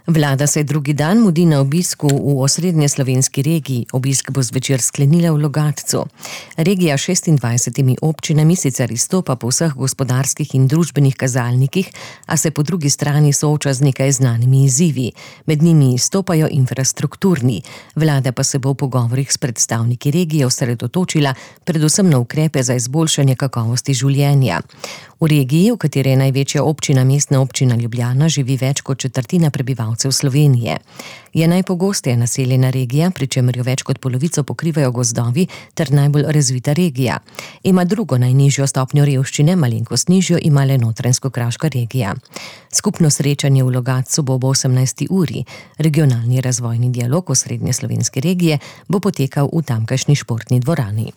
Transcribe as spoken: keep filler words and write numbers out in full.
Vlada se drugi dan mudi na obisku v osrednje slovenski regiji. Obisk bo zvečer sklenila v Logatcu. Regija s šestindvajsetimi občinami sicer izstopa po vseh gospodarskih in družbenih kazalnikih, a se po drugi strani sooča z nekaj znanimi izzivi. Med njimi izstopajo infrastrukturni. Vlada pa se bo v pogovorih s predstavniki regije osredotočila predvsem na ukrepe za izboljšanje kakovosti življenja. V regiji, v kateri je največja občina Mestna občina Ljubljana, živi več kot četrtina prebivalcev Slovenije. Je najpogosteje naseljena regija, pri čemer jo več kot polovico pokrivajo gozdovi ter najbolj razvita regija. Ima drugo najnižjo stopnjo revščine, malenkost nižjo ima le Notranjsko-kraška regija. Skupno srečanje v Logatcu bo ob osemnajsti uri. Regionalni razvojni dialog osrednje slovenske regije bo potekal v tamkajšnji športni dvorani.